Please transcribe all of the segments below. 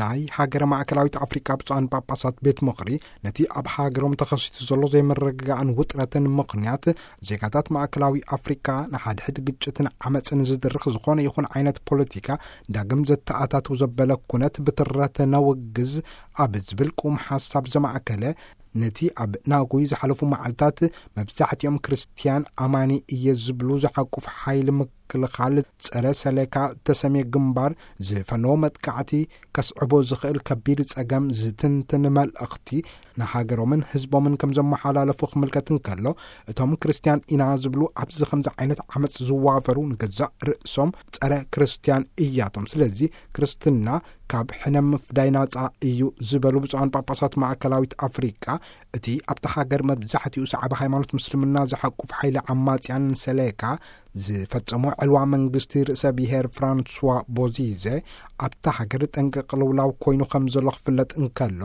ናይ ሃገረ ማእከላዊት ኣፍሪቃ ብፁዓን ጳጳሳት ቤት ምኽሪ፣ ነቲ ኣብ ሃገሮም ተኸሲቱ ዘሎ ዘይምርግጋእን ውጥረትን ምኽንያት፣ ዜጋታት ማእከላዊ ኣፍሪቃ ንሓድሕድ ግጭትን ዓመፅን ዝድርኽ ዝኾነ ይኹን ዓይነት ፖለቲካ ዳግም ዘተኣታትው ዘበለ ኩነት ብትረት ነውግዝ ኣብ ዝብል ቁም ሓሳብ ዘማእከለ፣ ነቲ ኣብ ናጉይ ዝሓለፉ መዓልታት መብዛሕትኦም ክርስትያን ኣማኒ እየ ዝብሉ ዝሓቁፍ ሓይሊ ምክልኻል ጸረ ሰሌካ ተሰምየ ግንባር ዝፈነዎ መጥቃዕቲ ከስዕቦ ዝኽእል ከቢድ ጸገም ዝትንትን መልእኽቲ ንሃገሮምን ህዝቦምን ከም ዘመሓላለፉ ክምልከት እንከሎ፣ እቶም ክርስትያን ኢና ዝብሉ ኣብዚ ከምዚ ዓይነት ዓመጽ ዝዋፈሩ ንገዛእ ርእሶም ጸረ ክርስትያን እያቶም። ስለዚ ክርስትና ካብ ሕነ ምፍዳይ ናጻ እዩ ዝበሉ ብፁዓን ጳጳሳት ማእከላዊት ኣፍሪቃ፣ እቲ ኣብታ ሃገር መብዛሕትኡ ሰዓቢ ሃይማኖት ምስልምና ዝሓቁፍ ሓይሊ ዓማጽያን ሰሌካ ዝፈጸሞ ዕልዋ መንግስቲ ርእሰ ብሔር ፍራንስዋ ቦዚዘ ኣብታ ሃገር ጠንቂ ቅልውላው ኮይኑ ከም ዘሎ ክፍለጥ እንከሎ፣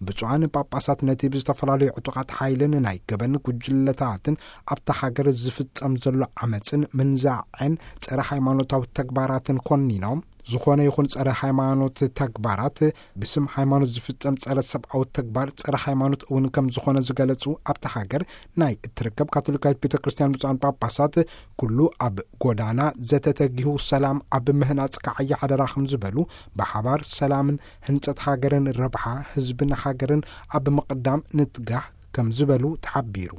ብፁዓን ጳጳሳት ነቲ ብዝተፈላለዩ ዕጡቓት ሓይልን ናይ ገበን ጉጅለታትን ኣብታ ሃገር ዝፍጸም ዘሎ ዓመጽን ምንዛዕን ጸረ ሃይማኖታዊ ተግባራትን ኮኒኖም፣ ዝኾነ ይኹን ጸረ ሃይማኖት ተግባራት፣ ብስም ሃይማኖት ዝፍጸም ጸረ ሰብኣዊ ተግባር ጸረ ሃይማኖት እውን ከም ዝኾነ ዝገለጹ ኣብታ ሃገር ናይ እትርከብ ካቶሊካዊት ቤተ ክርስቲያን ብፁዓን ጳጳሳት፣ ኩሉ ኣብ ጎዳና ዘተተጊሁ ሰላም ኣብ ምህናጽ ከዓይ ሓደራ ከም ዝበሉ፣ ብሓባር ሰላምን ህንጸት ሃገርን ረብሓ ህዝብን ሃገርን ኣብ ምቕዳም ንትጋህ ከም ዝበሉ ተሓቢሩ።